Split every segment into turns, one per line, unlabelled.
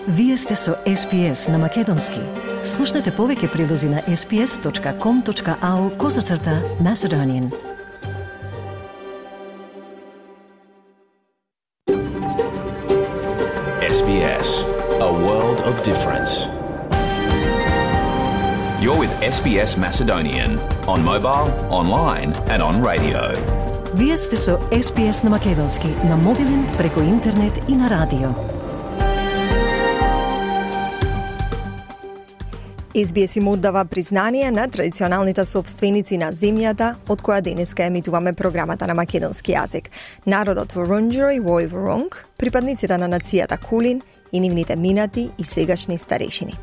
Вие сте со SPS на Македонски. Слушнете повеќе прилози на sps.com.au/Macedonian.
SBS, a world of difference. You're with SBS Macedonian on mobile, online and on radio.
Вие сте со SPS на Македонски на мобилен, преку интернет и на радио.
SBS им оддава признание на традиционалните собственици на земјата, од која денеска емитуваме програмата на македонски јазик. Народот Вурундјери вој Вурунг, припадниците на нацијата Кулин и нивните минати и сегашни старешини.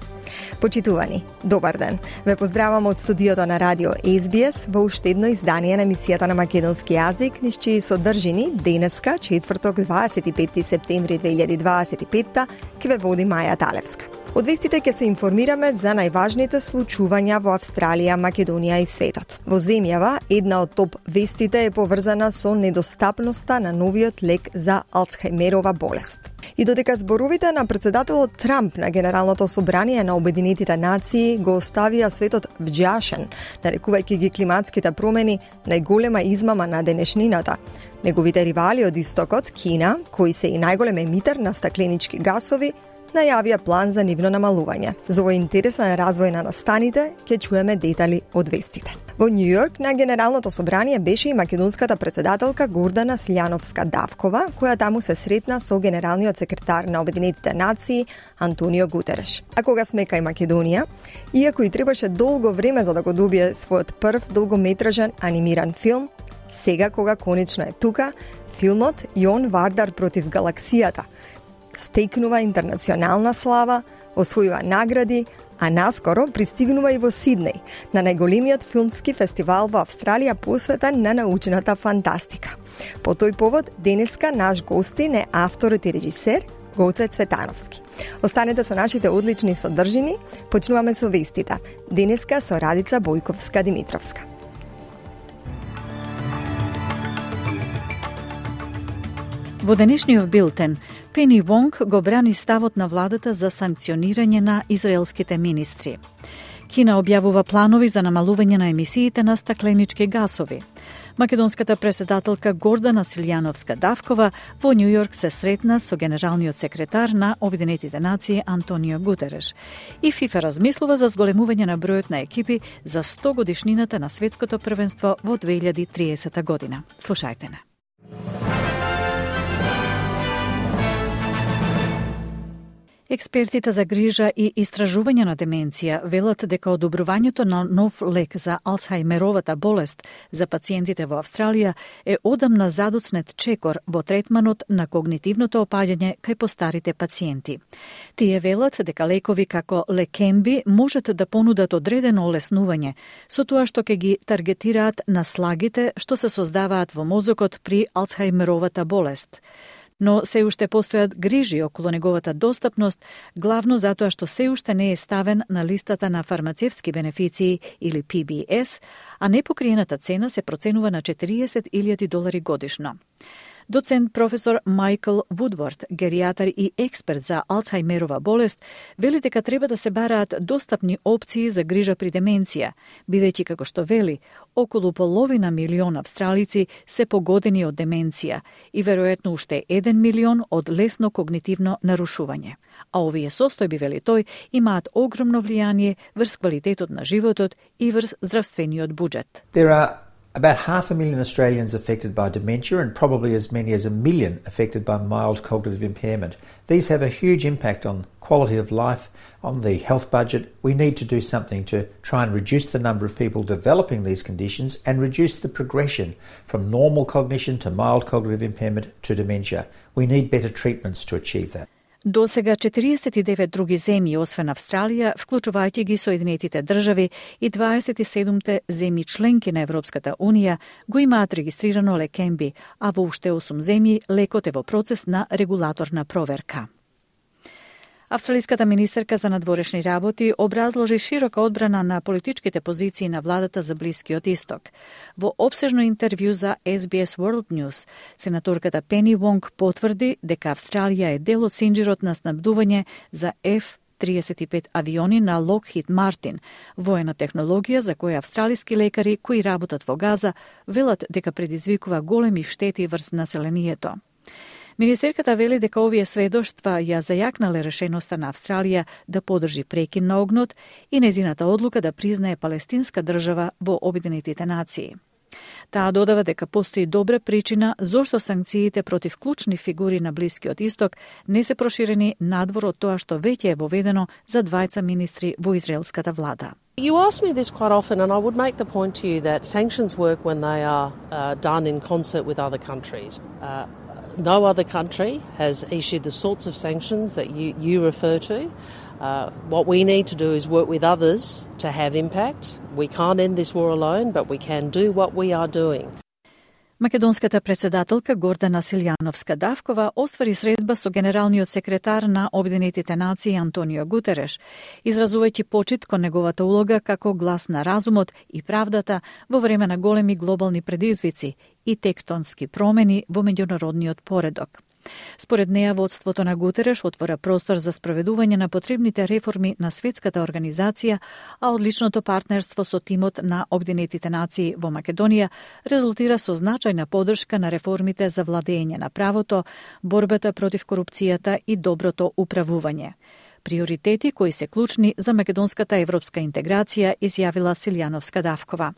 Почитувани, добар ден. Ве поздравам од студиото на радио SBS во уште едно издание на емисијата на македонски јазик, низ чии содржини денеска, четврток, 25 септември 2025, ќе ве води Маја Талевска. Од вестите ќе се информираме за најважните случувања во Австралија, Македонија и светот. Во земјава, една од топ вестите е поврзана со недостапноста на новиот лек за Алцхајмерова болест. И додека зборовите на председателот Трамп на Генералното собрание на Обединетите нации го оставија светот вџашен, нарекувајќи ги климатските промени најголема измама на денешнината. Неговите ривали од истокот, Кина, кои се и најголем емитер на стакленички гасови, најавија план за нивно намалување. За овој интересен развој на настаните, ќе чуеме детали од вестите. Во Њу Јорк на Генералното собрание беше и македонската председателка Гордана Силјановска-Давкова, која таму се сретна со генералниот секретар на Обединетите нации Антонио Гутереш. А кога сме кај Македонија, иако и требаше долго време за да го добие својот прв долгометражен анимиран филм, сега кога конечно е тука, филмот Јон Вардар против галаксијата стекнува интернационална слава, освојува награди, а наскоро пристигнува и во Сиднеј, на најголемиот филмски фестивал во Австралија посветен на научната фантастика. По тој повод, денеска наш гостин е авторот и режисер Гоце Цветановски. Останете со нашите одлични содржини, почнуваме со вестите. Денеска со Радица Бојковска-Димитровска.
Во денешниот билтен, Пени Вонг го брани ставот на владата за санкционирање на израелските министри. Кина објавува планови за намалување на емисиите на стакленички гасови. Македонската председателка Гордана Силјановска-Давкова во Њу Јорк се сретна со генералниот секретар на Обединетите нации Антонио Гутереш. И ФИФА размислува за зголемување на бројот на екипи за 100 годишнината на светското првенство во 2030 година. Слушајте не. Експертите за грижа и истражување на деменција велат дека одобрувањето на нов лек за Алцхајмеровата болест за пациентите во Австралија е одамна задоцнет чекор во третманот на когнитивното опаѓање кај постарите пациенти. Тие велат дека лекови како Лекемби можат да понудат одредено олеснување, со тоа што ќе ги таргетираат на слагите што се создаваат во мозокот при Алцхајмеровата болест. Но се уште постојат грижи околу неговата достапност, главно затоа што се уште не е ставен на листата на фармацевски бенефиции или PBS, а непокриената цена се проценува на $40,000 годишно. Доцент професор Майкл Вудворд, геријатар и експерт за Алцхајмерова болест, вели дека треба да се бараат достапни опции за грижа при деменција, бидејќи како што вели, околу половина милион австралици се погодени од деменција и веројатно уште 1 милион од лесно когнитивно нарушување. А овие состојби, вели тој, имаат огромно влијание врз квалитетот на животот и врз здравствениот буџет.
About 500,000 Australians affected by dementia and probably as many as 1 million affected by mild cognitive impairment. These have a huge impact on quality of life, on the health budget. We need to do something to try and reduce the number of people developing these conditions and reduce the progression from normal cognition to mild cognitive impairment to dementia. We need better treatments to achieve that.
До сега 49 други земји, освен Австралија, вклучувајќи ги Соединетите држави и 27 земји членки на Европската Унија, го имаат регистрирано Лекемби, а во уште 8 земји лекот е во процес на регулаторна проверка. Австралиската министерка за надворешни работи образложи широка одбрана на политичките позиции на владата за Блискиот исток. Во опсежно интервју за SBS World News, сенаторката Пени Вонг потврди дека Австралија е дел од синџирот на снабдување за F-35 авиони на Lockheed Martin, воена технологија за која австралиски лекари кои работат во Газа велат дека предизвикува големи штети врз населението. Министерката вели дека овие сведоштва ја зајакнале решеноста на Австралија да подржи прекин на огнот и незината одлука да признае палестинска држава во Обединетите нации. Таа додава дека постои добра причина зошто санкциите против клучни фигури на Блискиот исток не се проширени надвор од тоа што веќе е воведено за двајца министри во израелската влада.
You ask me this quite often, and I would make the point to you that sanctions work when they are done in concert with other countries. No other country has issued the sorts of sanctions that you refer to. What we need to do is work with others to have impact. We can't end this war alone, but we can do what we are doing.
Македонската председателка Гордана Силјановска-Давкова оствари средба со генералниот секретар на Обединетите нации Антонио Гутереш, изразувајќи почит кон неговата улога како глас на разумот и правдата во време на големи глобални предизвици и тектонски промени во меѓународниот поредок. Според неја, водството на Гутереш отвора простор за спроведување на потребните реформи на светската организација, а одличното партнерство со тимот на Обединетите нации во Македонија резултира со значајна поддршка на реформите за владење на правото, борбата против корупцијата и доброто управување. Приоритети кои се клучни за македонската европска интеграција, изјавила Силјановска-Давкова.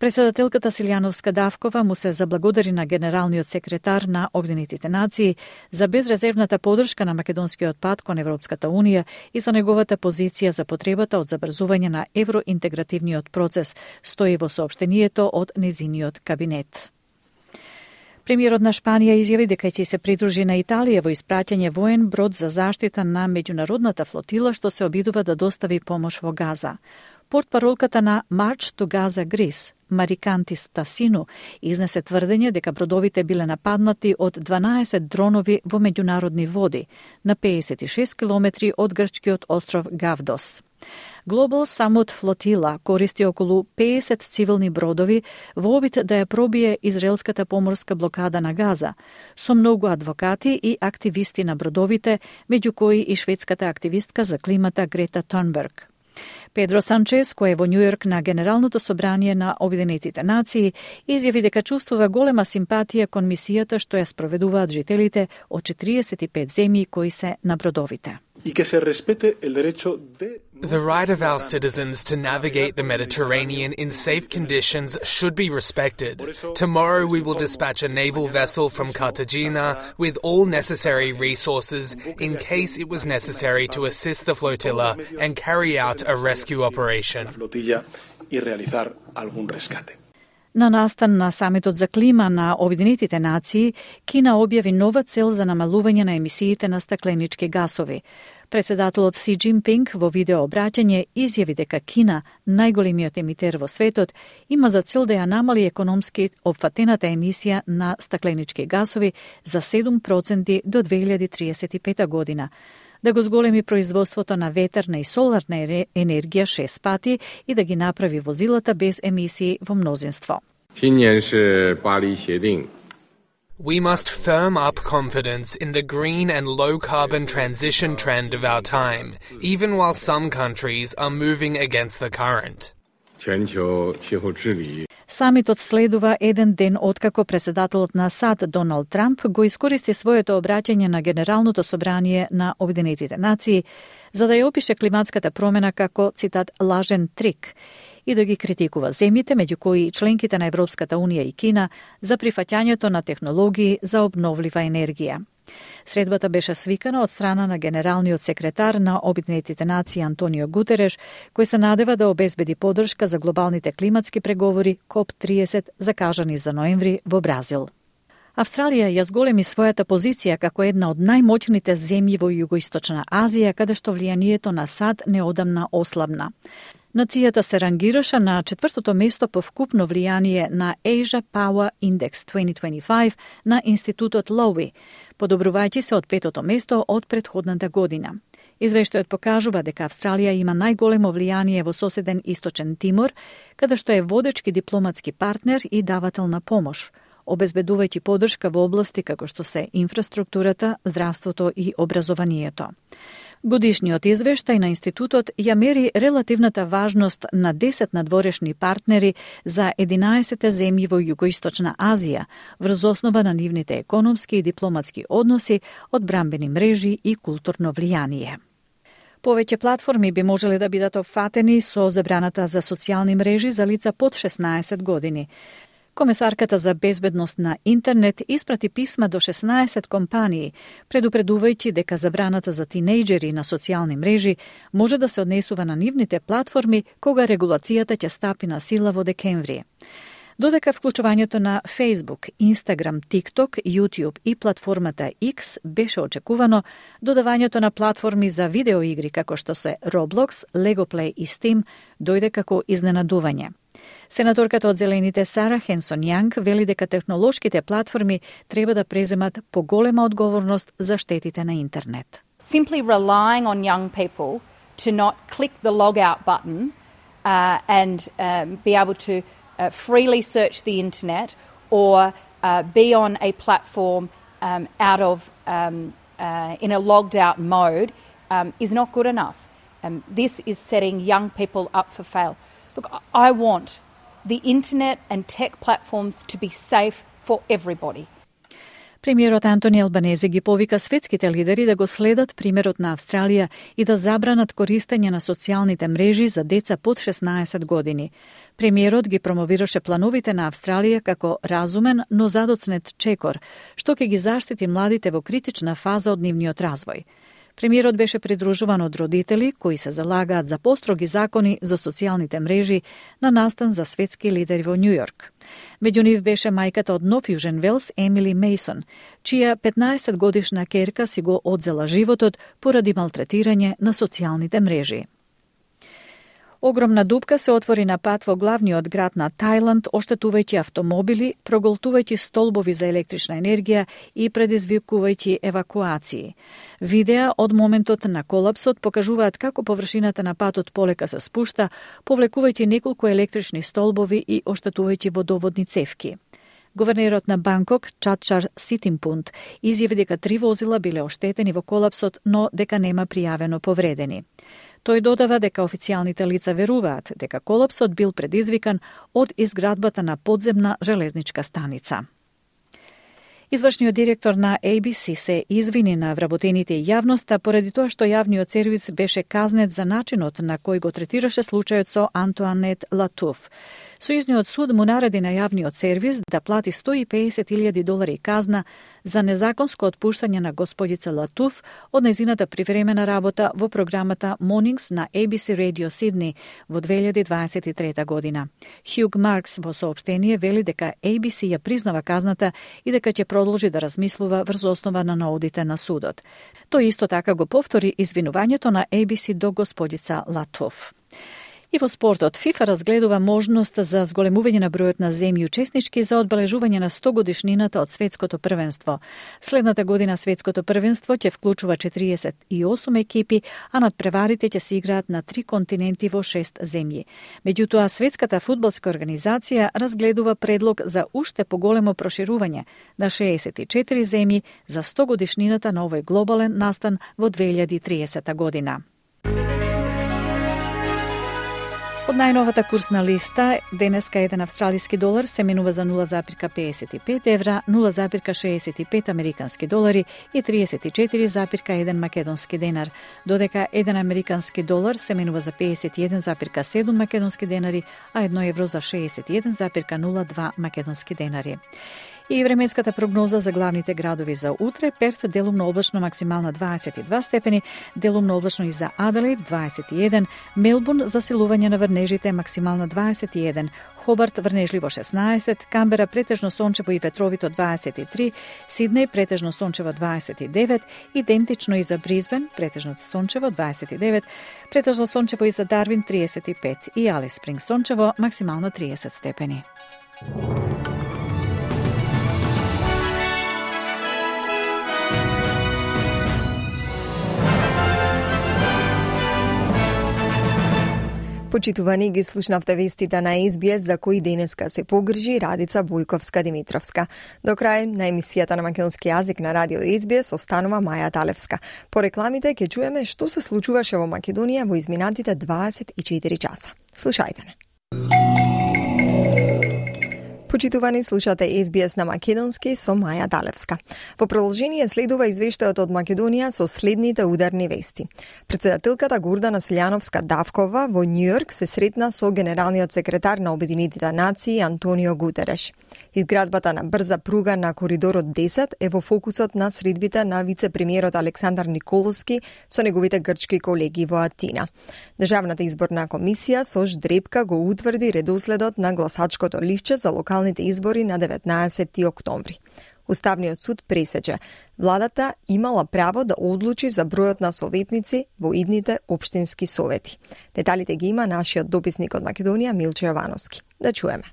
Председателката Силјановска-Давкова му се заблагодари на генералниот секретар на Обединетите нации за безрезервната поддршка на македонскиот пат кон Европската унија и за неговата позиција за потребата од забрзување на евроинтегративниот процес, стои во соопштението од незиниот кабинет. Премиерот на Шпанија изјави дека ќе се придружи на Италија во испраќање воен брод за заштита на меѓународната флотила што се обидува да достави помош во Газа. Портпаролката на March to Gaza Greece, Мариkanti Stasinu, изнесе тврдење дека бродовите биле нападнати од 12 дронови во меѓународни води, на 56 километри од грчкиот остров Гавдос. Global Summit Flotilla користи околу 50 цивилни бродови во обид да ја пробие израелската поморска блокада на Газа, со многу адвокати и активисти на бродовите, меѓу кои и шведската активистка за климата Грета Thunberg. Педро Санчес, кој е во Њујорк на Генералното собрание на Обединетите нации, изјави дека чувствува голема симпатија кон мисијата што ја спроведуваат жителите од 45 земји кои се на бродовите.
The right of our citizens to navigate the Mediterranean in safe conditions should be respected. Tomorrow we will dispatch a naval vessel from Cartagena with all necessary resources in case it was necessary to assist the flotilla and carry out a rescue operation.
На настан на самитот за клима на Обединетите нации, Кина објави нова цел за намалување на емисиите на стакленички гасови. Председателот Си Џинпинг во видеообраќање изјави дека Кина, најголемиот емитер во светот, има за цел да ја намали економски опфатената емисија на стакленички гасови за 7% до 2035 година, да го зголеми производството на ветерна и соларна енергија 6 пати и да ги направи возилата без емисии во мнозинство.
We must firm up confidence in the green and low-carbon transition trend of our time, even while some countries are moving against the current.
Самитот следува еден ден откако председателот на САД Доналд Трамп го искористи своето обраќање на Генералното собрание на Обединетите нации за да ја опише климатската промена како, цитат, лажен трик и да ги критикува земјите, меѓу кои и членките на Европската унија и Кина, за прифаќањето на технологии за обновлива енергија. Средбата беше свикана од страна на генералниот секретар на Обединетите нации Антонио Гутереш, кој се надева да обезбеди поддршка за глобалните климатски преговори КОП-30 закажани за ноември во Бразил. Австралија ја зголеми својата позиција како една од најмоćните земји во Југоисточна Азија, каде што влијанието на САД неодамна ослабна. Нацијата се рангираше на 4-то место по вкупно влијание на Asia Power Index 2025 на институтот Lowy, подобрувајќи се од 5-то место од претходната година. Извештајот покажува дека Австралија има најголемо влијание во соседен Источен Тимор, каде што е водечки дипломатски партнер и давател на помош, обезбедувајќи поддршка во области како што се инфраструктурата, здравството и образованието. Годишниот извештај на институтот ја мери релативната важност на 10 надворешни партнери за 11 земји во Југоисточна Азија, врз основа на нивните економски и дипломатски односи, одбранбени мрежи и културно влијание. Повеќе платформи би можеле да бидат опфатени со забраната за социјални мрежи за лица под 16 години. Комесарката за безбедност на интернет испрати писма до 16 компании, предупредувајќи дека забраната за тинејџери на социјални мрежи може да се однесува на нивните платформи кога регулацијата ќе стапи на сила во декември. Додека вклучувањето на Facebook, Instagram, TikTok, YouTube и платформата X беше очекувано, додавањето на платформи за видеоигри како што се Roblox, Legoplay и Steam дојде како изненадување. Сенаторката од Зелените Сара Хенсон Јанг вели дека технолошките платформи треба да преземат поголема одговорност за штетите на интернет.
Simply relying on young people to not click the log out button and be able to freely search the internet or be on a platform out of in a logged out mode is not good enough. This is setting young people up for fail. Look, I want the internet and tech platforms to be safe for everybody.
Премиерот Антони Албанезе ги повика светските лидери да го следат примерот на Австралија и да забранат користење на социјалните мрежи за деца под 16 години. Премиерот ги промовираше плановите на Австралија како разумен, но задоцнет чекор, што ќе ги заштити младите во критична фаза од нивниот развој. Премиерот беше придружуван од родители кои се залагаат за построги закони за социјалните мрежи на настан за светски лидери во Њујорк. Меѓу нив беше мајката од Нов Јужен Велс, Емили Мейсон, чија 15 годишна керка си го одзела животот поради малтретирање на социјалните мрежи. Огромна дупка се отвори на пат во главниот град на Тајланд, оштетувајќи автомобили, проголтувајќи столбови за електрична енергија и предизвикувајќи евакуации. Видеа од моментот на колапсот покажуваат како површината на патот полека се спушта, повлекувајќи неколку електрични столбови и оштетувајќи водоводни цевки. Гувернерот на Банкок, Чатчар Ситимпунт, изјави дека 3 возила биле оштетени во колапсот, но дека нема пријавено повредени. Тој додава дека официјалните лица веруваат дека колапсот бил предизвикан од изградбата на подземна железничка станица. Извршниот директор на ABC се извини на вработените и јавноста поради тоа што јавниот сервис беше казнет за начинот на кој го третираше случајот со Антуанет Латуф. Сојузниот суд му нареди на јавниот сервис да плати $150,000 казна за незаконско отпуштање на господица Латуф од нејзината привремена работа во програмата Mornings на ABC Radio Sydney во 2023 година. Хјуг Маркс во соопштение вели дека ABC ја признава казната и дека ќе продолжи да размислува врз основа на наудите на судот. Тој исто така го повтори извинувањето на ABC до господица Латуф. И во спортот, ФИФА разгледува можност за зголемување на бројот на земји учеснички за одбележување на 100 годишнината од светското првенство. Следната година светското првенство ќе вклучува 48 екипи, а надпреварите ќе се играат на 3 континенти во 6 земји. Меѓутоа, Светската фудбалска организација разгледува предлог за уште поголемо проширување на 64 земји за 100 годишнината на овој глобален настан во 2030 година. Од најновата курсна листа, денеска еден австралиски долар се менува за 0,55 евра, 0,65 американски долари и 34,1 македонски денар, додека еден американски долар се менува за 51,7 македонски денари, а 1 евро за 61,02 македонски денари. И временската прогноза за главните градови за утре: Перт делумно облачно, максимална 22 степени, делумно облачно и за Аделаид 21, Мелбурн засилување на врнежите, максимална 21, Хобарт врнежливо 16, Камбера претежно сончево и ветровито 23, Сиднеј претежно сончево 29, идентично и за Бризбен, претежно сончево 29, претежно сончево и за Дарвин 35 и Алис Спрингс сончево, максимална 30 степени.
Почитувани, ги слушнавте вестите на SBS за кои денеска се погрижи Радица Бојковска-Димитровска. До крај на емисијата на македонски јазик на радио SBS останува Маја Талевска. По рекламите ќе чуеме што се случуваше во Македонија во изминатите 24 часа. Слушајте не. Почитувани, слушате SBS на македонски со Маја Талевска. Во продолжение следува извештајот од Македонија со следните ударни вести. Председателката Гордана Силјановска-Давкова во Њујорк се сретна со генералниот секретар на Обединетите нации Антонио Гутереш. Изградбата на брза пруга на коридорот 10 е во фокусот на средбите на вице-премиерот Александар Николовски со неговите грчки колеги во Атина. Државната изборна комисија со ждрепка го утврди редоследот на гласачкото ливче за локалните избори на 19 октомври. Уставниот суд пресече владата имала право да одлучи за бројот на советници во идните општински совети. Деталите ги има нашиот дописник од Македонија Милче Јовановски. Да чуеме.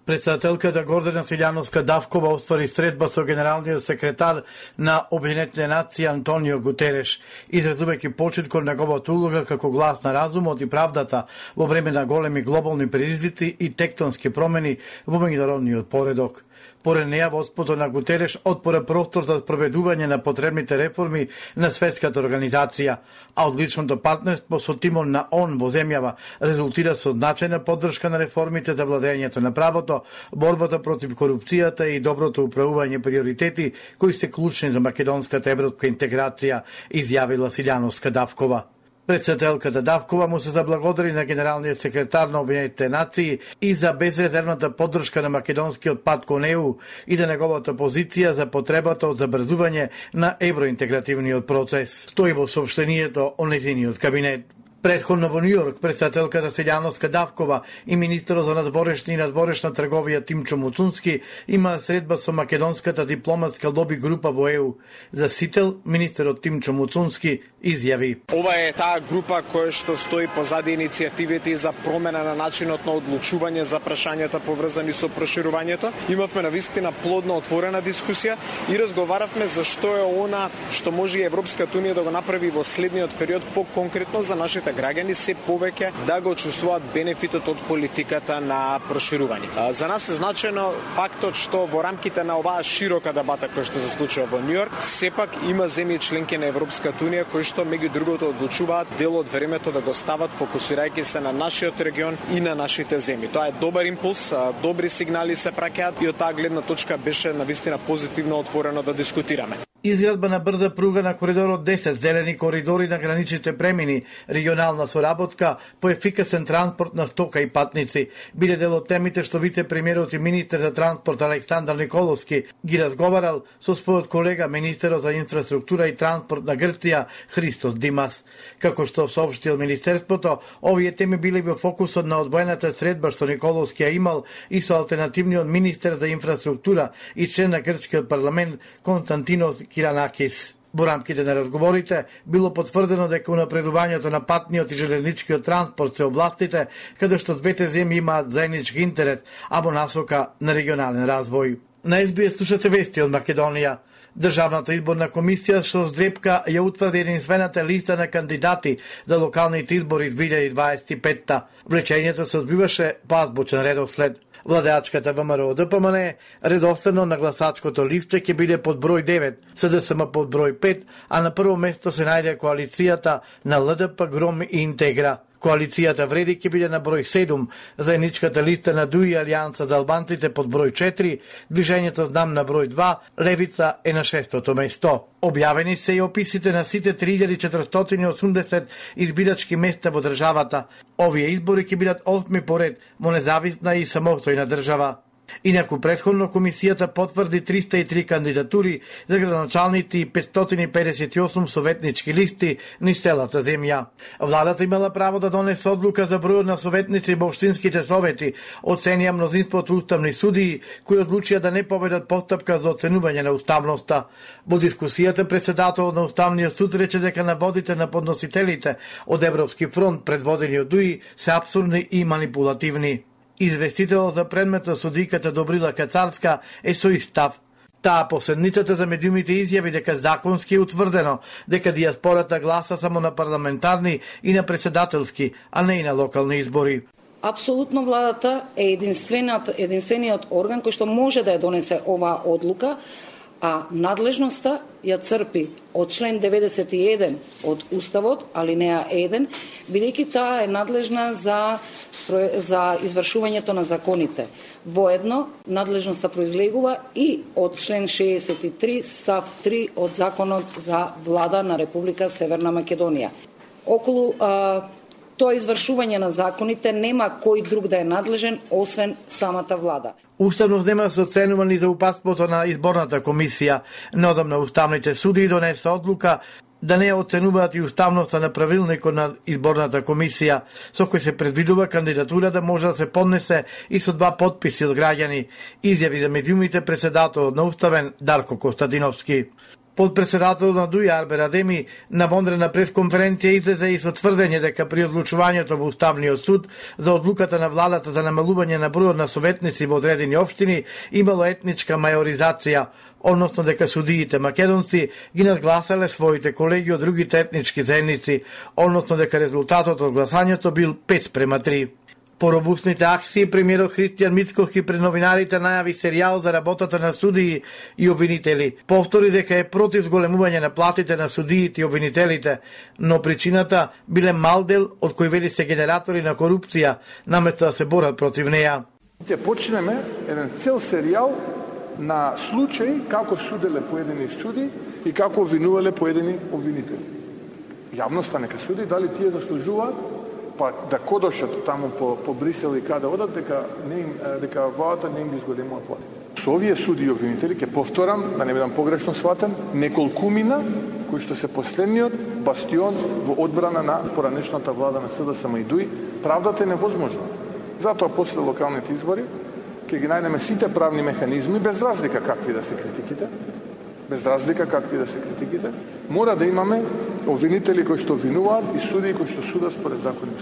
Председателката Гордана Силјановска-Давкова оствари средба со генералниот секретар на Обединетите нации Антонио Гутереш, изразувајќи почит кон неговата улога како глас на разумот и правдата во време на големи глобални предизвици и тектонски промени во меѓународниот поредок. Поред неја, водството на Гутереш отпора простор за спроведување на потребните реформи на светската организација, а одличното партнерство со тимот на ООН во земјава резултира со значајна поддршка на реформите за владењето на правото, борбата против корупцијата и доброто управување приоритети кои се клучни за македонската европска интеграција, изјавила Силјановска-Давкова. Председателката Давкова му се заблагодари на генералниот секретар на Обединетите нации и за безрезервната поддршка на македонскиот пат кон ЕУ и за неговата позиција за потребата од забрзување на евроинтегративниот процес. Стои во соопштението о нејзиниот кабинет. Претходно во Њујорк, председателката Силјановска-Давкова и министерот за надворешна и надворешна трговија Тимчо Муцунски има средба со македонската дипломатска лоби група во ЕУ. За Сител, министерот Тимчо Муцунски изјави:
Ова е таа група која што стои позади иницијативите за промена на начинот на одлучување за прашањата поврзани со проширувањето. Имавме навистина плодна отворена дискусија и разговаравме за што е она што може и Европската унија да го направи во следниот период по-конкретно за нашите граѓани се повеќе да го чувствуваат бенефитот од политиката на проширување. За нас е значајно фактот што во рамките на оваа широка дебата која што се случува во Њујорк, сепак има земји членки на Европската унија кои што меѓу другото одлучуваат дел од времето да го стават фокусирајќи се на нашиот регион и на нашите земји. Тоа е добар импулс, добри сигнали се праќаат и од таа гледна точка беше навистина позитивно отворено да дискутираме.
Изградба на брза пруга на коридорот 10, зелени коридори на граничните премини, регионална соработка по ефикасен транспорт на стока и патници биде дел од темите што вице-премиерот и министер за транспорт Александар Николовски ги разговарал со својот колега министерот за инфраструктура и транспорт на Грција Христос Димас. Како што соопштил министерството, овие теми биле во фокусот на одвоената средба што Николовски ја имал и со алтернативниот министер за инфраструктура и член на грчкиот парламент Константинос Киранакис. Во рамките на разговорите било потврдено дека унапредувањето на патниот и железничкиот транспорт се областите каде што двете земји имаат заеднички интерес, а во насока на регионален развој. На SBS слушате вести од Македонија. Државната изборна комисија со здрепка ја утврди единствената листа на кандидати за локалните избори 2025. Влечењето се одбиваше по азбучен редослед. Владеачката ВМРО ДПМН редоследно на гласачкото лифче ќе биде под број 9, СДСМ под број 5, а на прво место се најде коалицијата на ЛДП, ГРОМ и Интегра. Коалицијата Вреди ќе биде на број 7, заедничката листа на ДУИ Алијанса за албанците под број 4, движењето Знам на број 2, Левица е на 6-то место. Објавени се и описите на сите 3480 избирачки места во државата. Овие избори ќе бидат 8 поред во независна и самостојна држава. Инаку претходно комисијата потврди 303 кандидатури за градоначалници и 558 советнички листи низ целата земја. Владата имала право да донесе одлука за бројот на советници во општинските совети, оценија мнозинството уставни судии кои одлучија да не поведат постапка за оценување на уставноста. Во дискусијата председателот на Уставниот суд рече дека наводите на подносителите од Европски фронт предводени од ДУИ се апсурдни и манипулативни. Известителот за предметот судиката Добрила Кацарска е со ист став. Таа по седницата за медиумите изјави дека законски е утврдено дека дијаспората гласа само на парламентарни и на председателски, а не и на локални избори.
Апсолутно владата е единствениот орган кој што може да ја донесе оваа одлука, а надлежноста ја црпи од член 91 од Уставот, алинеа 1, бидејќи таа е надлежна за извршувањето на законите. Воедно, надлежноста произлегува и од член 63 став 3 од Законот за влада на Република Северна Македонија. Околу тоа извршување на законите нема кој друг да е надлежен, освен самата влада.
Уставно нема се оценувани за упатството на изборната комисија. Неодамна уставните суди донесе одлука да не оценуваат и уставноста на правилникот на изборната комисија, со кој се предвидува кандидатура да може да се поднесе и со 2 потписи од граѓани, изјави за медиумите председателот на Уставен Дарко Костадиновски. Подпредседателот на ДУИ Арбер Адеми на вонредна пресконференција излезе и со тврдење дека при одлучувањето во Уставниот суд за одлуката на владата за намалување на бројот на советници во одредени општини имало етничка мајоризација, односно дека судиите македонци ги надгласале своите колеги од другите етнички заедници, односно дека резултатот од гласањето бил 5:3. По робусните акции, премиерот Христијан Мицкоски пред новинарите најави серијал за работата на судии и обвинители. Повтори дека е против зголемување на платите на судиите и обвинителите, но причината биле мал дел од кои вели се генератори на корупција, наместо да се борат против неја.
Ќе почнеме еден цел серијал на случаи како суделе поедини суди и како обвинувале поедини обвинители. Јавноста нека суди дали тие заслужуваат па да кодошат таму по Брисел и каде одат, дека владата не им ги зголемува плати. Со овие суди и обвинители, ќе повторам, да не бидам погрешно сватен, неколкумина кои што се последниот бастион во одбрана на поранешната влада на СДСМ и ДУИ, правдата е невозможна. Затоа после локалните избори ќе ги најдеме сите правни механизми, без разлика какви да се критиките, мора да имаме обвинители кои што обвинуваат и судии кои што судат според закони.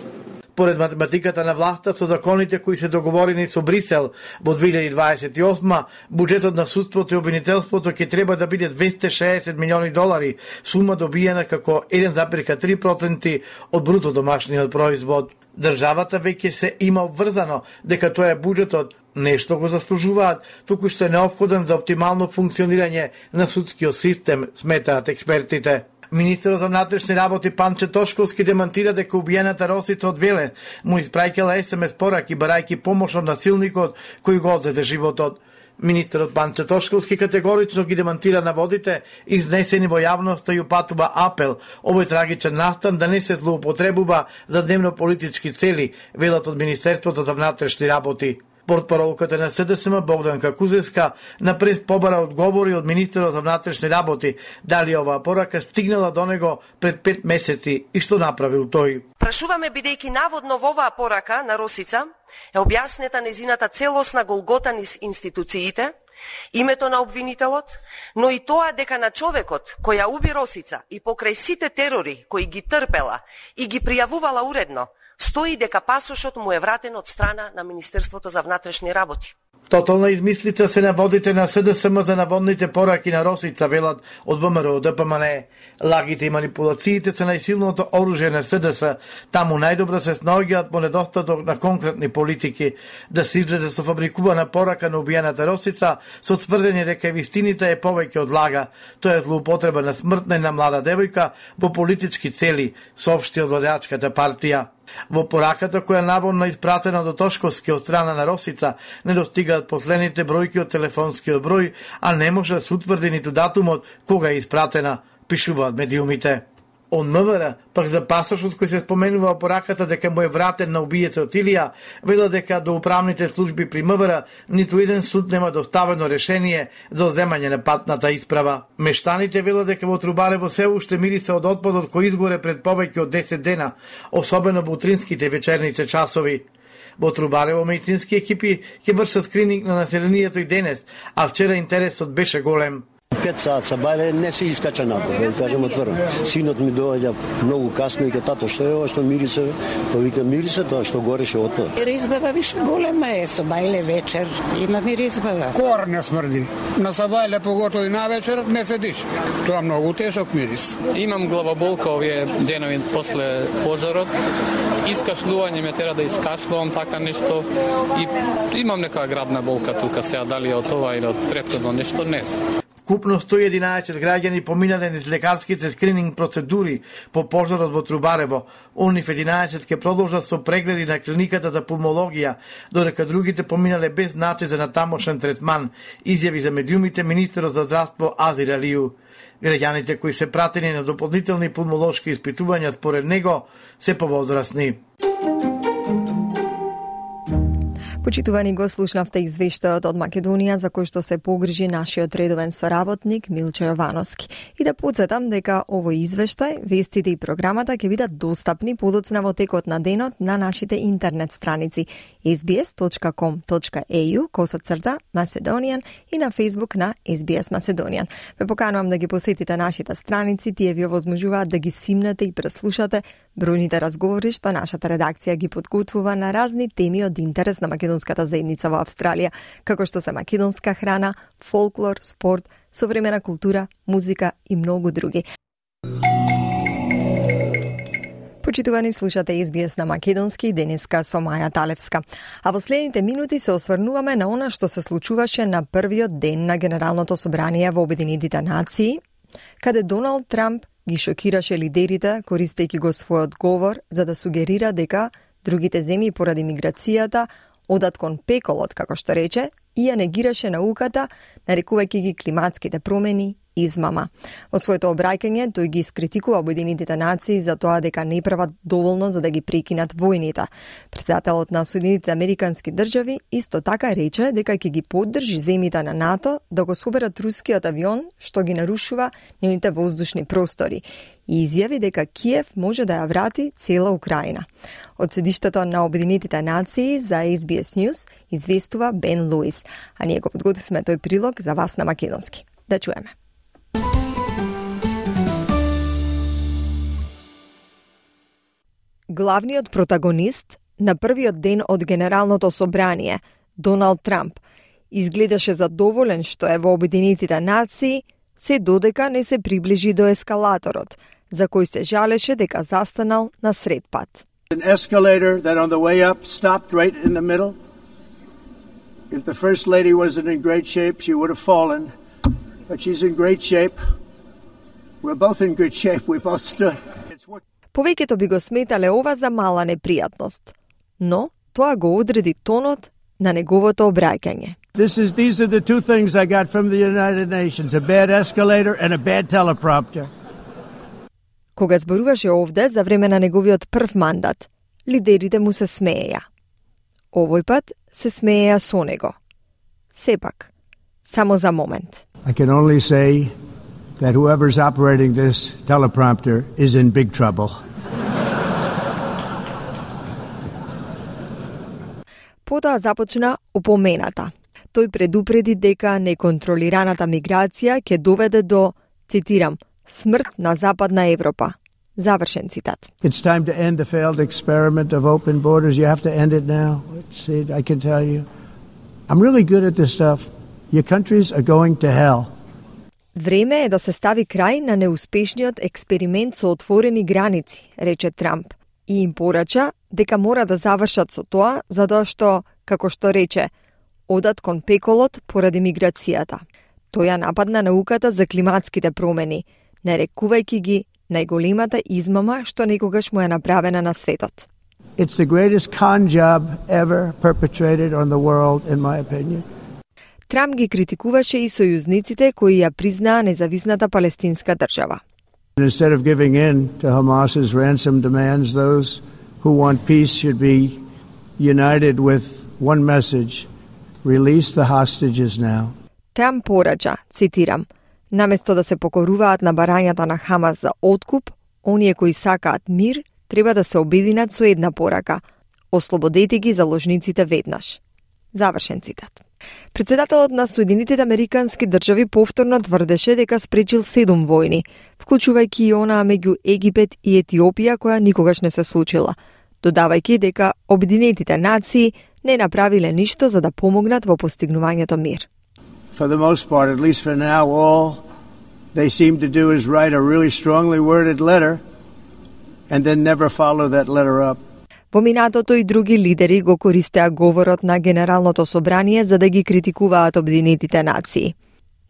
Поред математиката на власта со законите кои се договорени со Брисел во 2028, буџетот на судството и обвинителството ќе треба да биде $260 милиони, сума добиена како 1,3% од бруто домашниот производ. Државата веќе се има обврзано дека тоа е буџетот, нешто го заслужуваат, туку што е неопходен за оптимално функционирање на судскиот систем, сметаат експертите. Министерот за внатрешни работи Панче Тошковски демантира дека убиената Росица од Велес му испраќала SMS пораки барајќи помош од насилникот кој го одзеде животот. Министерот Панче Тошковски категорично ги демантира наводите изнесени во јавноста и упатува апел овој трагичен настан да не се злоупотребува за дневно политички цели, велат од Министерството за внатрешни работи. Портпаролката на СДСМ Богданка Кузевска на прес побара одговори од министерот за внатрешни работи дали оваа порака стигнала до него пред 5 месеци и што направил тој.
Прашуваме бидејќи наводно во оваа порака на Росица е објаснета незината целосна голгота низ институциите, името на обвинителот, но и тоа дека на човекот кој ја уби Росица и покрај сите терори кои ги трпела и ги пријавувала уредно, стои дека пасошот му е вратен од страна на Министерството за внатрешни работи.
Тотална измислица се наводите на СДСМ за наводните пораки на Росица, велат од ВМРО ДПМН. Лагите и манипулациите се најсилното оружје на СДС. Таму најдобро се снаоѓаат по недостаток на конкретни политики. Да се излезе со фабрикувана порака на убиената Росица со тврдење дека вистините е повеќе од лага. Тоа е злоупотреба на смртна и на млада девојка во политички цели, соопшти од владеачката партија. Во пораката која наводно испратена до Тошковски од страна на Росица не достигаат последните бројки од телефонскиот број, а не може да се утврди ниту датумот кога е испратена, пишуваат медиумите. Од МВР, пак за пасошот кој се споменува во пораката дека му е вратен на убиецот Илија, вела дека до управните служби при МВР ниту еден суд нема доставено решение за земање на патната исправа. Мештаните велат дека во Трубарево се уште мириса од отпадот кој изгоре пред повеќе од 10 дена, особено во утринските вечерните часови. Во Трубарево медицински екипи ќе вршат скрининг на населението и денес, а вчера интересот беше голем.
5 сат са бајле, не се искача напред, да кажем отворено. Синот ми доаѓа многу касно и ке тато што е ова што мирисе, па вика мирисе тоа што гореше отпад.
Ризбава више голема е, со бајле вечер, има ми ризбава.
Кор не смрди. На сабајле поготово и на вечер не седиш. Тоа многу тешок мирис.
Имам главоболка овие денови после пожарот. Искашлување ме тера да искашлувам така нешто и имам нека грабна болка тука сега, дали од ова или од претходно нешто, не знам.
Купно 111 граѓани поминале низ лекарските скрининг процедури по пожарот во Трубарево. Онив 11 ке продолжат со прегледи на клиниката за пулмологија, додека другите поминале без знаци за натамошен третман, изјави за медиумите министерот за здравство Азир Алију. Граѓаните кои се пратени на дополнителни пулмолошки испитувања според него се повозрасни.
Почитувани, го слушнавте извештајот од Македонија за кој што се погрижи нашиот редовен соработник Милчо Јовановски. И да подсетам дека овој извештај, вестите и програмата ќе бидат достапни подоцна во текот на денот на нашите интернет страници sbs.com.au/Macedonian и на Facebook на SBS Macedonian. Ве поканувам да ги посетите нашите страници, тие ви овозможуваат да ги симнете и преслушате бројните разговори што нашата редакција ги подготвува на разни теми од интерес на македонската заедница во Австралија, како што се македонска храна, фолклор, спорт, современа култура, музика и многу други. Почитувани, слушате SBS на македонски денеска со Маја Талевска. А во следните минути се осврнуваме на она што се случуваше на првиот ден на Генералното собрание во Обединетите нации, каде Доналд Трамп ги шокираше лидерите, користејќи го својот говор за да сугерира дека другите земји поради миграцијата одат кон пеколот, како што рече, и ја негираше науката, нарекувајќи ги климатските промени измама. Во своето обраќање тој ги искритикува Обединетите нации за тоа дека не прават доволно за да ги прекинат војните. Претседателот на Соединетите Американски држави исто така рече дека ќе ги поддржи земјите на НАТО да го соберат рускиот авион што ги нарушува нивните воздушни простори и изјави дека Киев може да ја врати цела Украина. Од седиштето на Обединетите нации за SBS News известува Бен Луис, а ние го подготвивме тој прилог за вас на македонски. Да чуеме. Главниот протагонист на првиот ден од Генералното собрание, Доналд Трамп, изгледаше задоволен што е во Обединетите нации, се додека не се приближи до ескалаторот, за кој се жалеше дека застанал на сред пат.
An escalator that on the way up stopped right in the middle. If the first lady wasn't in great shape, she would have fallen, but she's in great shape. We're both in good shape. We both stood.
Повеќето би го сметале ова за мала непријатност, но тоа го одреди тонот на неговото обраќање.
These are the two things I got from the United Nations, a bad escalator and a bad teleprompter.
Кога зборуваше овде за време на неговиот прв мандат, лидерите му се смееја. Овој пат се смееја со него. Сепак, само за момент.
I can only say that whoever's operating this teleprompter is in big trouble.
Потоа започна упомената. Тој предупреди дека неконтролираната миграција ќе доведе до, цитирам, смрт на Западна Европа. Завршен цитат.
It's time to end the failed experiment of open borders. You have to end it now. I can tell you. I'm really good at this stuff. Your countries are going to hell.
Време е да се стави крај на неуспешниот експеримент со отворени граници, рече Трамп, и им порача дека мора да завршат со тоа, затоа што, како што рече, одат кон пеколот поради миграцијата. Тој ја нападна науката за климатските промени, нарекувајќи ги најголемата измама што некогаш му е направена на светот.
It's the greatest con job ever perpetrated on the world, in my opinion.
Трамп ги критикуваше и сојузниците кои ја признаа независната палестинска држава.
Instead of giving in to Hamas's ransom demands, those who want peace should be united with one message: release the hostages now.
Трамп порача, цитирам, наместо да се покоруваат на барањата на Хамас за откуп, оние кои сакаат мир треба да се обединат со една порака: ослободете ги заложниците веднаш. Завршен цитат. Председателот на Соединетите Американски држави повторно тврдеше дека спречил 7 војни, вклучувајќи и онаа меѓу Египет и Етиопија која никогаш не се случила, додавајќи дека Обединетите нации не направиле ништо за да помогнат во постигнувањето мир.
For the most part, at least for now, all they seem to do is write a really strongly worded letter and then never follow that letter up.
Во минатото и други лидери го користеа говорот на Генералното собрание за да ги критикуваат Обединетите нации.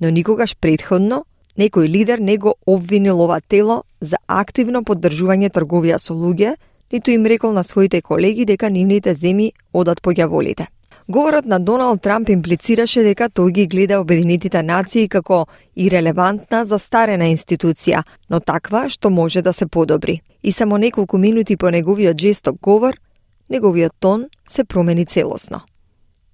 Но никогаш претходно некој лидер не го обвинил ова тело за активно поддржување трговија со луѓе, ниту им рекол на своите колеги дека нивните земји одат по ѓаволите. Говорот на Доналд Трамп имплицираше дека тој ги гледа Обединетите нации како ирелевантна, застарена институција, но таква што може да се подобри. И само неколку минути по неговиот жесток говор, неговиот тон се промени целосно.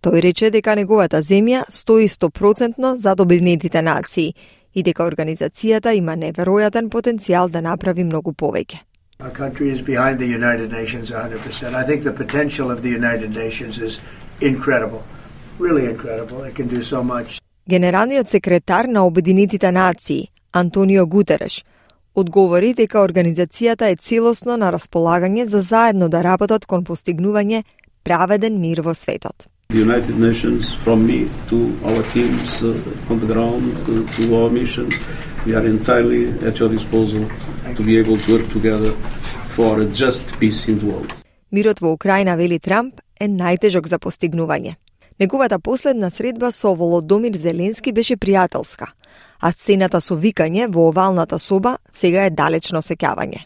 Тој рече дека неговата земја стои 100% зад Обединетите нации и дека организацијата има неверојатен потенцијал да направи многу повеќе.
Our country is behind the United Nations 100%. I think the potential of the United Nations is incredible. Really incredible. It can do so much.
Генералниот секретар на Обединетите нации, Антонио Гутереш, одговори дека организацијата е целосно на располагање за заедно да работат кон постигнување праведен мир во светот.
The United Nations, from me to our teams on the ground, to our missions, we are entirely at your disposal to be able to work together for a just peace in the world.
Мирот во Украина, вели Трамп, е најтежок за постигнување. Неговата последна средба со Володомир Зеленски беше пријателска, а сцената со викање во овалната соба сега е далечно сеќавање.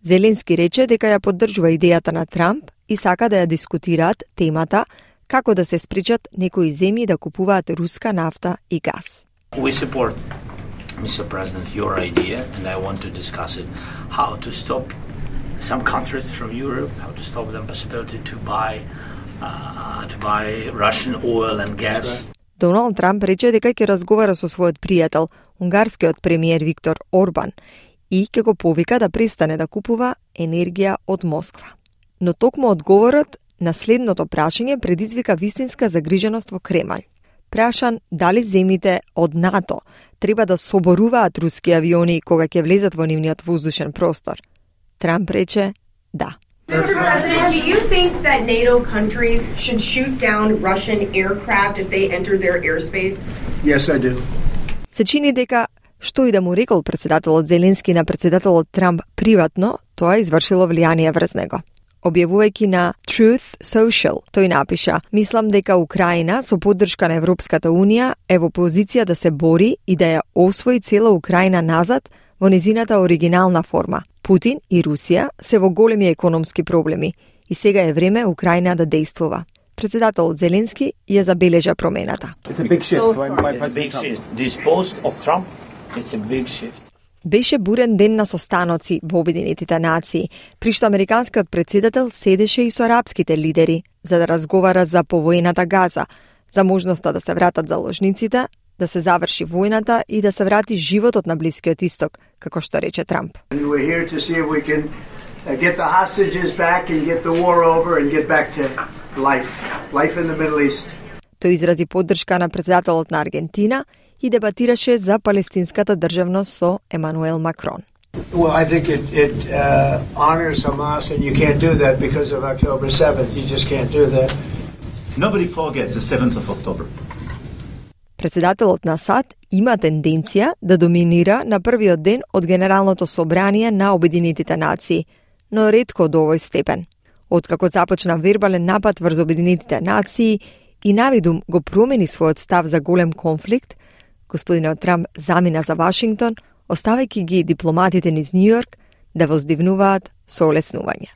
Зеленски рече дека ја поддржува идејата на Трамп и сака да ја дискутираат темата како да се спречат некои земји да купуваат руска нафта и газ.
We support, Mr. President, your idea, and I want to discuss it, how to stop some countries from Europe, how to stop the possibility to buy Russian oil and gas.
Доналд Трамп рече дека ќе разговара со својот пријател, унгарскиот премиер Виктор Орбан, и ќе го повика да престане да купува енергија од Москва. Но токму одговорот на следното прашање предизвика вистинска загриженост во Кремљ. Прашан дали земјите од НАТО треба да соборуваат руски авиони кога ќе влезат во нивниот воздушен простор, Трамп рече да.
Mr. President, do you think that NATO countries should shoot down Russian aircraft if they enter their airspace?
Yes, I do.
Се чини дека што и да му рекол председателот Зеленски на председателот Трамп приватно, тоа извршило влијание врз него. Објавувајќи на Truth Social, тој напиша: "Мислам дека Украина со поддршка на Европската Унија е во позиција да се бори и да ја освои цела Украина назад во незината оригинална форма. Путин и Русија се во големи економски проблеми и сега е време Украина да действува." Председателот Зеленски ја забележа промената. Беше бурен ден на состаноци во Обединетите нации, при што американскиот председател седеше и со арапските лидери за да разговара за повојната Газа, за можноста да се вратат заложниците, да се заврши војната и да се врати животот на Блискиот Исток, како што рече Трамп. Тој изрази поддршка на председателот на Аргентина и дебатираше за палестинската државност со Емануел Макрон.
Well, I think it honors Hamas, and you can't do that because of October 7th. You just can't do that.
Nobody forgets the 7th of October.
Председателот на САД има тенденција да доминира на првиот ден од Генералното собрание на Обединетите нации, но ретко до овој степен. Откако започна вербален напад врз Обединетите нации и навидум го промени својот став за голем конфликт, господинот Трамп замина за Вашингтон, оставајќи ги дипломатите низ Њујорк да воздивнуваат со олеснување.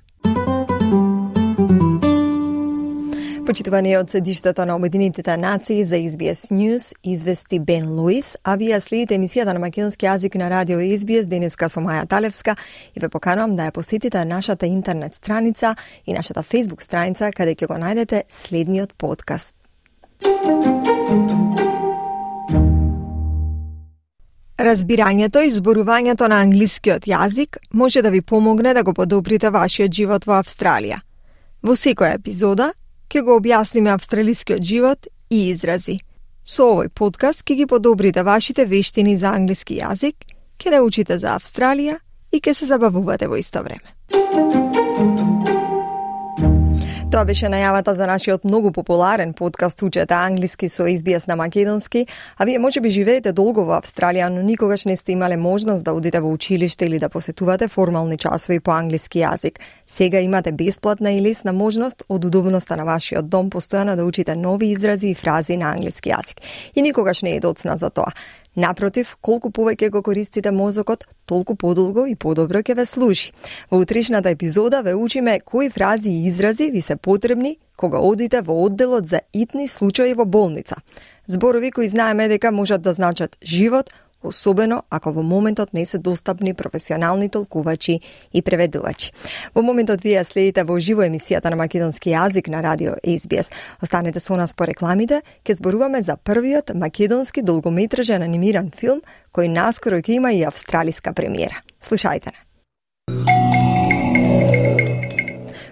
Почитувани од седиштето на Обединетите нации за SBS News извести Бен Луис, а вие следите емисијата на македонски јазик на радио SBS денеска со Маја Талевска и ве поканувам да ја посетите нашата интернет страница и нашата Facebook страница каде ќе го најдете следниот подкаст. Разбирањето и зборувањето на англискиот јазик може да ви помогне да го подобрите вашиот живот во Австралија. Во секоја епизода ќе го објасниме австралискиот живот и изрази. Со овој подкаст ќе ги подобрите вашите вештини за англиски јазик, ќе научите за Австралија и ќе се забавувате во исто време. Тоа беше најавата за нашиот многу популарен подкаст Учете англиски со SBS на македонски, а вие можеби живеете долго во Австралија, но никогаш не сте имале можност да одите во училиште или да посетувате формални часови по англиски јазик. Сега имате бесплатна и лесна можност од удобноста на вашиот дом постојано да учите нови изрази и фрази на англиски јазик. И никогаш не е доцна за тоа. Напротив, колку повеќе го користите мозокот, толку подолго и подобро ќе ве служи. Во утрешната епизода ве учиме кои фрази и изрази ви се потребни кога одите во одделот за итни случаи во болница. Зборови кои знаеме дека можат да значат живот, особено ако во моментот не се достапни професионални толкувачи и преведувачи. Во моментот вие следите во живо емисијата на македонски јазик на радио SBS. Останете со нас по рекламите, ќе зборуваме за првиот македонски долгометражен анимиран филм кој наскоро ќе има и австралиска премиера. Слушајте не.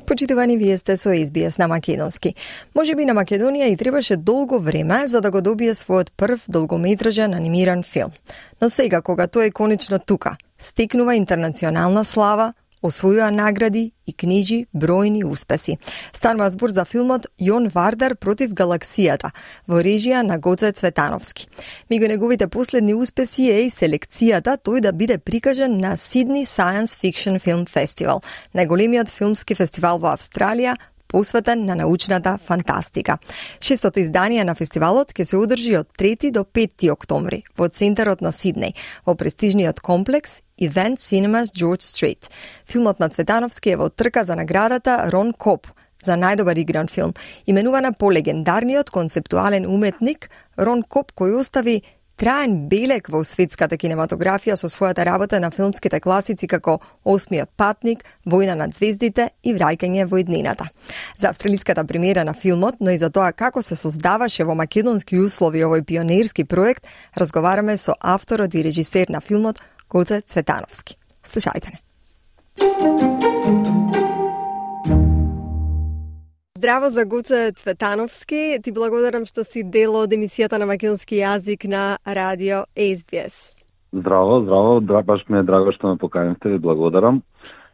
Почитувани, вие сте со SBS на македонски. Можеби на Македонија и требаше долго време за да го добие својот прв долгометражен анимиран филм. Но сега, кога тој е конечно тука, стекнува интернационална слава, освојува награди и книжи бројни успеси. Станува збор за филмот Јон Вардар против галаксијата во режија на Гоце Цветановски. Меѓу неговите последни успеси е и селекцијата тој да биде прикажан на Sydney Science Fiction Film Festival, најголемиот филмски фестивал во Австралија, посветен на научната фантастика. 6-тото издание на фестивалот ќе се одржи од 3 до 5 октомври во центарот на Сиднеј, во престижниот комплекс Event Cinemas George Street. Филмот на Цветановски е во трка за наградата Рон Коп за најдобар игран филм, именувана по легендарниот концептуален уметник Рон Коп, кој остави траен белег во светската кинематографија со својата работа на филмските класици како Осмиот патник, Војна над звездите и Враќање во иднината. За австралиската премиера на филмот, но и за тоа како се создаваше во македонски услови овој пионерски проект, разговараме со авторот и режисер на филмот Гоце Цветановски. Слушајте не. Здраво за Гоце Цветановски. Ти благодарам што си дел од емисијата на македонски јазик на радио SBS.
Здраво. Баш ми е драго што ме поканивте, ви благодарам.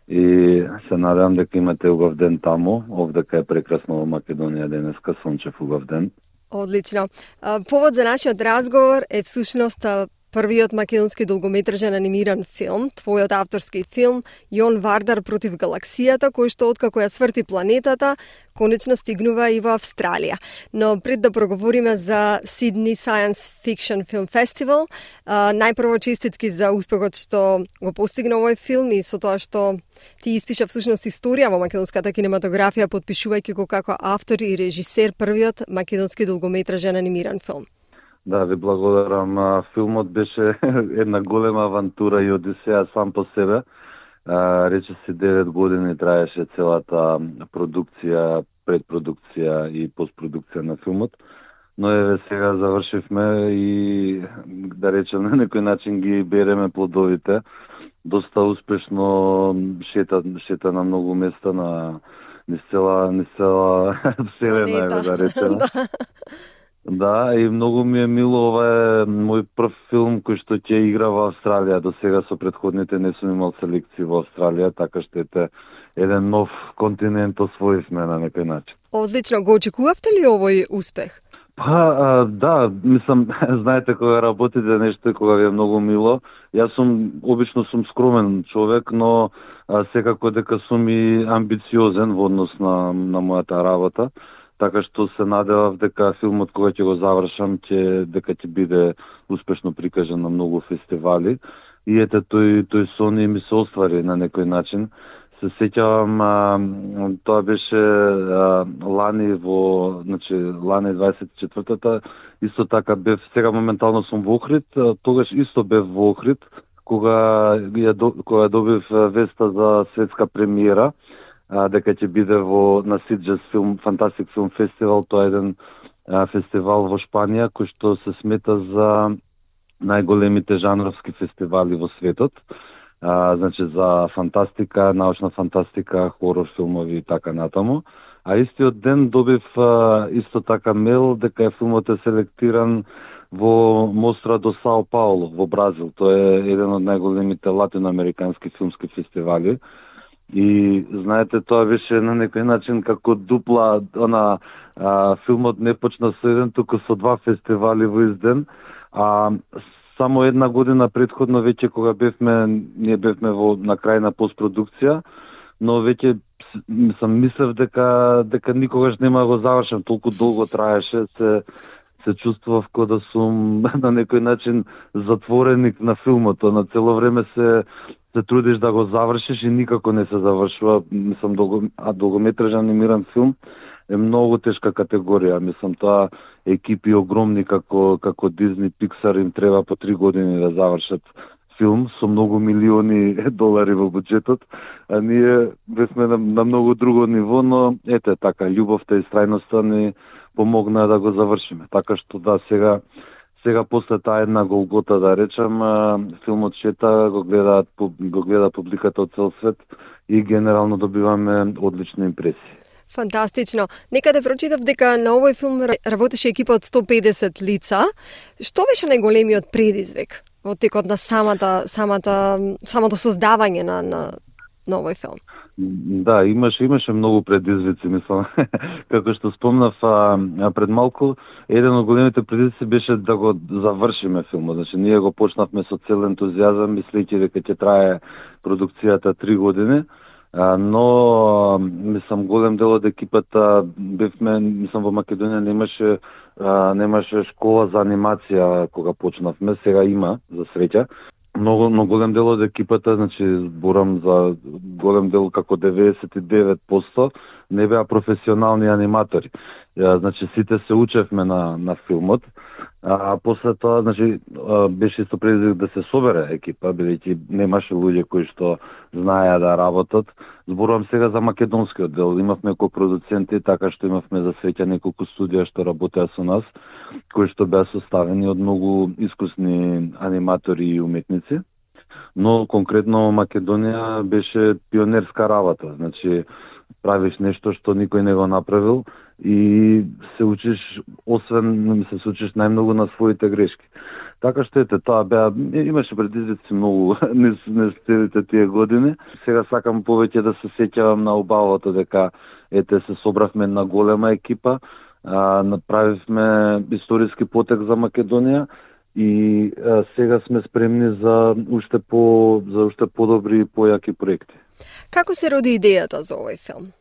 И се надевам дека имате убав ден таму. Овдека е прекрасно во Македонија денеска, сончев убав ден.
Одлично. Повод за нашиот разговор е всушност првиот македонски долгометражен анимиран филм, твојот авторски филм Јон Вардар против галаксијата, кој што откако ја сврти планетата, конечно стигнува и во Австралија. Но пред да проговориме за Sydney Science Fiction Film Festival, најпрво честитки за успехот што го постигна овој филм и со тоа што ти испиша всушност историја во македонската кинематографија, подпишувајќи го како автор и режисер првиот македонски долгометражен анимиран филм.
Да, ви благодарам. Филмот беше една голема авантура и одисеја сам по себе. Рече се 9 години траеше целата продукција, предпродукција и постпродукција на филмот. Но еве сега завршивме и да речем на некој начин ги береме плодовите. Доста успешно шета на многу места на низ цела вселена, да речем. Да, и многу ми е мило, ова е мој прв филм кој што ќе игра во Австралија. До сега со претходните не сум имал селекции во Австралија, така што ете еден нов континент освоивме на некој начин.
Одлично, го очекувавте ли овој успех?
Да, мислам, знаете, кога работите нешто и кога ви е многу мило, јас обично сум скромен човек, но секако дека сум и амбициозен во однос на мојата работа. Така што се надевав дека филмот кога ќе го завршам дека ќе биде успешно прикажан на многу фестивали. И ете тој сон ми се оствари на некој начин. Се сеќавам, тоа беше лани лани 24-та, исто така бев, сега моментално сум во Охрид, тогаш исто бев во Охрид, кога добив веста за светска премиера, дека ќе биде на Sitges Fantastic Film Festival. Тоа е еден фестивал во Шпанија кој што се смета за најголемите жанровски фестивали во светот. значи за фантастика, научна фантастика, хорор филмови и така натаму. А истиот ден добив исто така мейл дека филмот е селектиран во Мостра до Сао Пауло во Бразил. Тој е еден од најголемите латиноамерикански филмски фестивали. И знаете, тоа беше на некој начин како дупла, филмот не почна со еден, туку со два фестивали во изден. Само една година предходно веќе кога ние бевме на крај на постпродукција, но веќе мислев дека никогаш нема да го завршам, толку долго траеше, се чувствував како да сум на некој начин затвореник на филмот, на цело време се трудиш да го завршиш и никако не се завршува. Долгометражен анимиран филм е многу тешка категорија. Тоа екипи огромни како Disney, Pixar им треба по 3 години да завршат филм со многу милиони долари во буџетот, а ние бевме на многу друго ниво, но ете така, љубовта и страјноста ни помогна да го завршиме. Така што сега после таа една голгота, да речам, филмот шета, го гледа публиката од цел свет и генерално добиваме одлични импресии.
Фантастично. Некаде прочитав дека на овој филм работеше екипа од 150 лица. Што беше најголемиот предизвик во текот на самото создавање на овој филм?
Да, имаше многу предизвици, мислам. Како што спомнав пред малку, еден од големите предизвици беше да го завршиме филмот. Значи, ние го почнавме со цел ентузијазам, мислејќи дека ќе трае продукцијата 3 години. Но голем дел од екипата бевме, во Македонија немаше школа за анимација кога почнавме, сега има, за среќа. Но голем дел од екипата, значи зборам за голем дел како 99%, не беа професионални аниматори. Значи сите се учевме на филмот. После тоа, значи, беше исто предизвик да се собере екипа, бидејќи немаше луѓе кои што знаеа да работат. Зборувам сега за македонскиот дел. Имавме копродуценти, така што имавме за среќа неколку студија што работеа со нас, кои што беа составени од многу искусни аниматори и уметници. Но конкретно Македонија беше пионерска работа. Значи, правиш нешто што никој не го направил и се учиш, се учиш најмногу на своите грешки. Така што тоа имаше предизвици многу не следите тие години. Сега сакам повеќе да се сеќавам на убавото дека се собравме на голема екипа, направивме историски потек за Македонија и сега сме спремни за уште подобри и појаки проекти.
Како се роди идејата за овој филм?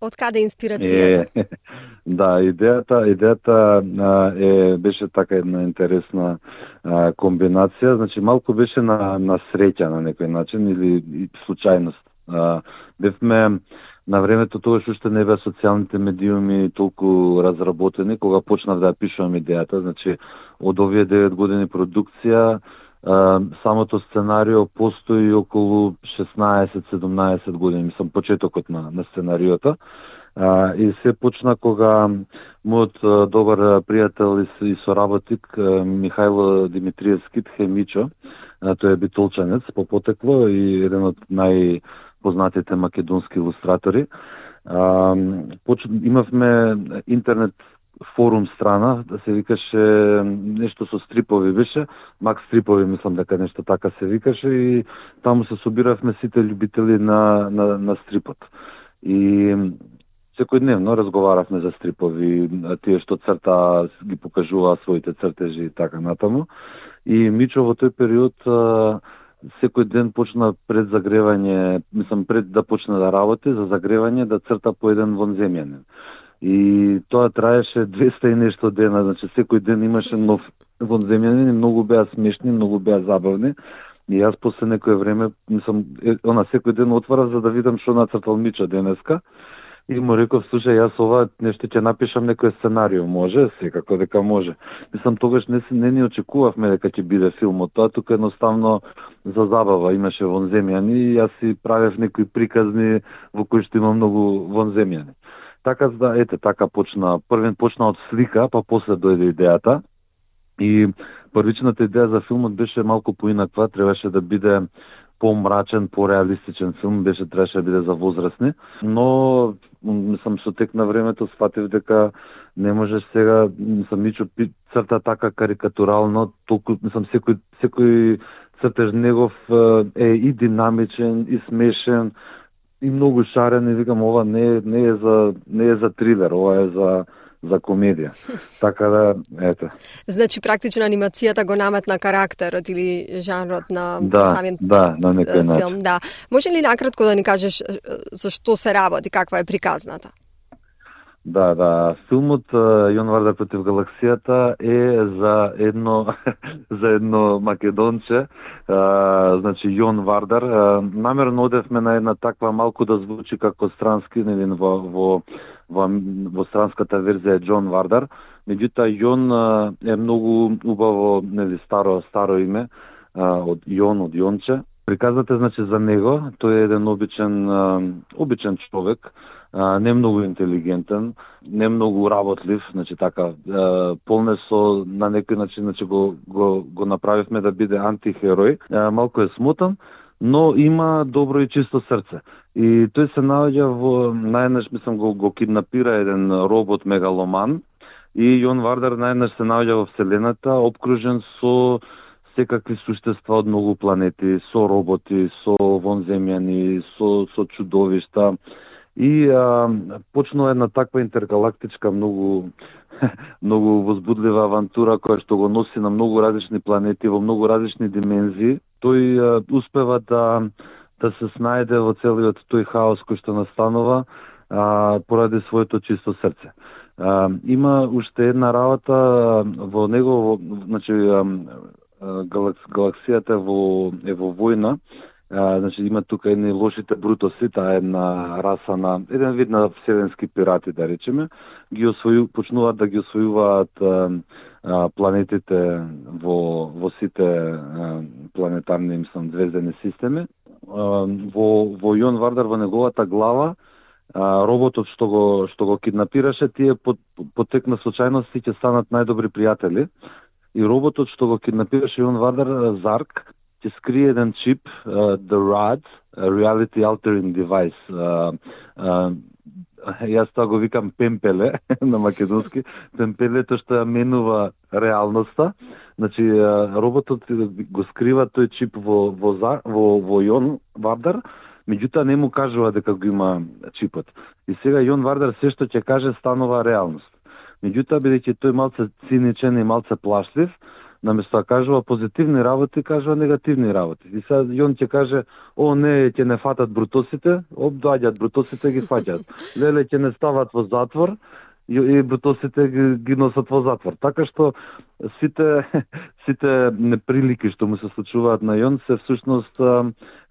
Од каде инспирацијата?
Да, идејата беше така една интересна комбинација. Значи, малку беше на среќа на некој начин или случајност. Бевме на времето, тогаш уште не беа социјалните медиуми толку разработени, кога почнав да ја пишувам идејата. Значи, од овие 9 години продукција, самото сценарио постои околу 16-17 години, мислам, почетокот на сценариото. И се почна кога мојот добар пријател и соработник Михајло Димитриевски, Тхемичо, тој е битолчанец по потекло и еден од најпознатите македонски илустратори. Имавме интернет форум страна, да се викаше нешто со стрипови беше, Макс Стрипови, мислам дека нешто така се викаше, и таму се собиравме сите љубители на стрипот. И секојдневно разговаравме за стрипови, тие што црта ги покажуваа своите цртежи и така натаму. И Мичо во тој период секој ден почна пред загревање, пред да почне да работи, за загревање да црта по еден вонземјанин. И тоа траеше 200 и нешто дена, значи секој ден имаше нов вонземјанин и многу беа смешни, многу беа забавни. И јас после некое време, секој ден отварав за да видам што нацртал Мичо денеска. И му реков, слушај, јас ова нешто ќе напишам некој сценарио, може? Секако дека може. Тогаш не ни очекувавме дека ќе биде филмот, тоа тука едноставно за забава имаше вонземјани и јас си правев некои приказни во кои што има многу вонземјани. Така така почна, првен почна од слика, па после дојде идејата. И првичната идеја за филмот беше малку поинаква, требаше да биде помрачен, пореалистичен филм, требаше да биде за возрастни, но мислам со тек на времето сфатив дека не можеш сега, ничо црта така карикатурално, толку мислам секој цртеж негов е и динамичен, и смешен, и многу шарен, и викам ова не е за трилер, ова е за комедија. Така да, ете.
Значи, практично анимацијата го наметна карактерот или жанрот на самиот
на некој начин.
филм. Да. Може ли накратко да ни кажеш за што се работи, каква е приказната?
Да. Филмот Јон Вардар против галаксијата е за едно македонче, значи Јон Вардар. Намерно одевме на една таква малку да звучи како странски, нели во странската верзија е Џон Вардар. Меѓутоа Јон е многу убаво, нели старо име од Јонче. Приказвате значи за него, тој е еден обичен човек, не многу интелигентен, не многу работлив, значи така полне со на некој начин, значи го направивме да биде антихерој, малку е смотан, но има добро и чисто срце. И тој се наоѓа најнаш мислам го киднапира еден робот мегаломан и Јон Вардар најнаш се наоѓа во вселената обкружен со секакви суштества од многу планети, со роботи, со вонземјани, со чудовишта. И почнува една таква интергалактичка многу возбудлива авантура која што го носи на многу различни планети во многу различни димензии. Тој успева да се снајде во целиот тој хаос кој што настанува поради своето чисто срце. Има уште една работа во него, значи галаксијата е во војна. Значи има тука едни лошите брутоси, таа е една раса на еден вид на вселенски пирати, да речеме, почнуваат да ги освојуваат планетите во сите планетарни звездени системи. Во Јон Вардар во неговата глава роботот што го киднапираше, тие потекна случајности ќе станат најдобри пријатели. И роботот што го киднапираше Јон Вардар, Зарк, ќе скрие еден чип, The RAD, Reality Altering Device. Јас тоа го викам пемпеле на македонски. Пемпелето што ја менува реалноста. Значи, роботот го скрива тој чип во Јон Вардар, меѓутоа не му кажува дека го има чипот. И сега Јон Вардар се што ќе каже станува реалност. Меѓутоа, бидејќи тој малце циничен и малце плашлив, наместо да кажува позитивни работи, кажува негативни работи. И сега Јон ќе каже, ќе не фатат брутосите, доаѓаат брутосите ги фаќаат. Леле ќе не стават во затвор, и брутосите ги носат во затвор. Така што сите неприлики што му се случуваат на Јон се всушност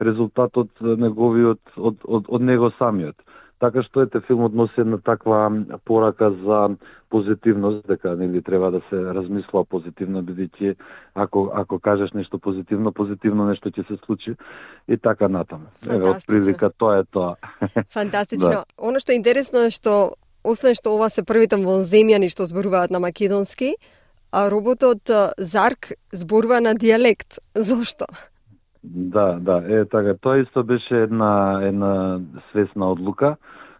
резултат од неговиот од него самиот. Така што филмот носи една таква порака за позитивност, дека нели треба да се размислува позитивно, бидејќи ако кажеш нешто позитивно нешто ќе се случи и така натаму. Од прилика тоа е тоа.
Фантастично. Да. Оно што е интересно е што освен што ова се првите вонземјани што зборуваат на македонски, а роботот Зарк зборува на дијалект. Зошто?
Да, така. Тоа исто беше една свесна одлука.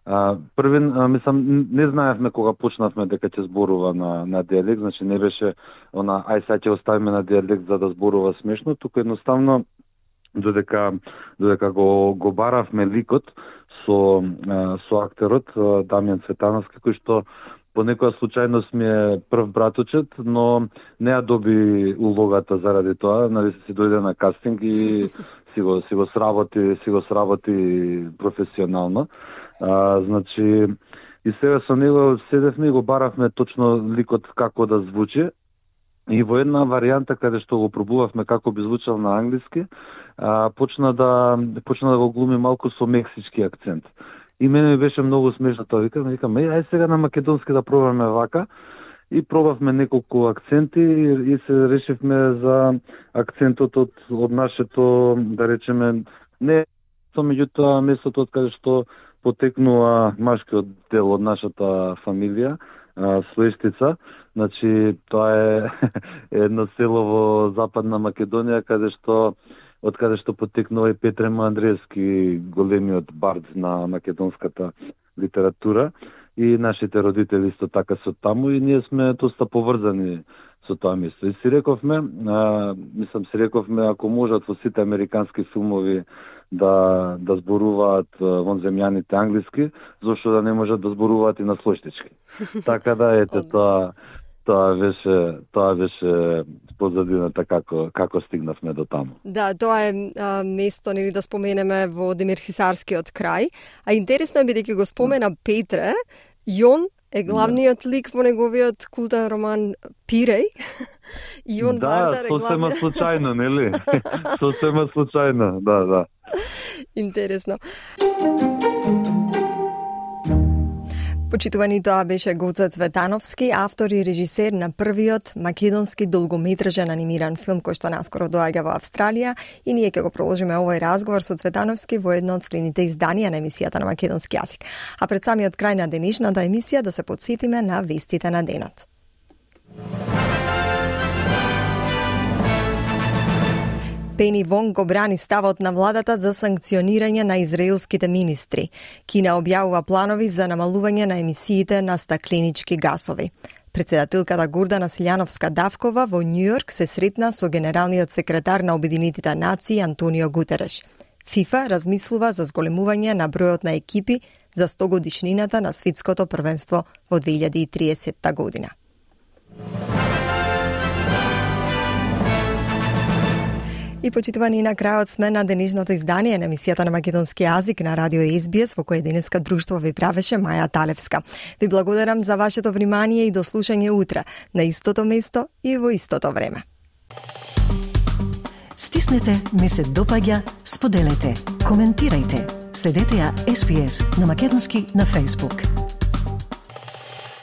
Мислам, не знаевме кога почнавме дека ќе зборува на дијалект, значи не беше сега ќе оставиме на дијалект за да зборува смешно, туку едноставно додека го баравме ликот со актерот Дамјан Цветановски, кој што по некоја случајност ми е прв браточет, но не ја доби улогата заради тоа, нали се дојде на кастинг и си го сработи професионално. Значи и сега со него седевме и го баравме точно ликот како да звучи. И во една варијанта каде што го пробувавме како би звучал на англиски, почна да го глуми малку со мексички акцент. И мене ми беше многу смешно тоа. Викам, ај сега на македонски да пробаме вака. И пробавме неколку акценти и се решивме за акцентот од нашето, да речеме, не меѓутоа местото од каде што потекнува машкиот дел од нашата фамилија, Слештица. Значи, тоа е едно село во Западна Македонија, каде што од каде што потекнува и Петре Андреевски, големиот бард на македонската литература, и нашите родители исто така се таму и ние сме доста поврзани со тоа место. И си рековме, ако можат во сите американски филмови да зборуваат вонземјаните англиски, зошто да не можат да зборуваат и на слојштички. Така да ете тоа беше позадината како стигнавме до таму.
Да, тоа е место, нели да споменеме, во Демирхисарскиот крај. А интересно е, бидејќи го спомена Петре, Јон е главниот лик во неговиот култен роман Пиреј. Јон Вардар е
сосема случајно, нели? Сосема случајно, да.
Интересно. Почитувани, тоа беше Гоце Цветановски, автор и режисер на првиот македонски долгометражен анимиран филм кој што наскоро доаѓа во Австралија, и ние ќе го продолжиме овој разговор со Цветановски во едно од следните изданија на емисијата на македонски јазик. А пред самиот крај на денешната емисија да се потсетиме на вестите на денот. Пени Вонг го брани ставот на владата за санкционирање на израелските министри. Кина објавува планови за намалување на емисиите на стакленички гасови. Председателката Гордана Силјановска-Давкова во Њујорк се сретна со генералниот секретар на Обединетите нации Антонио Гутереш. ФИФА размислува за зголемување на бројот на екипи за 100 годишнината на светското првенство во 2030 година. И почитувани, на крајот сме на денешното издание на емисијата на македонски јазик на Радио СБС, во кој денеска друштво ви правеше Маја Талевска. Ви благодарам за вашето внимание и до слушање утре на истото место и во истото време.
Стиснете, ми се допаѓа, споделете, коментирајте. Следете ја SBS на македонски на Facebook.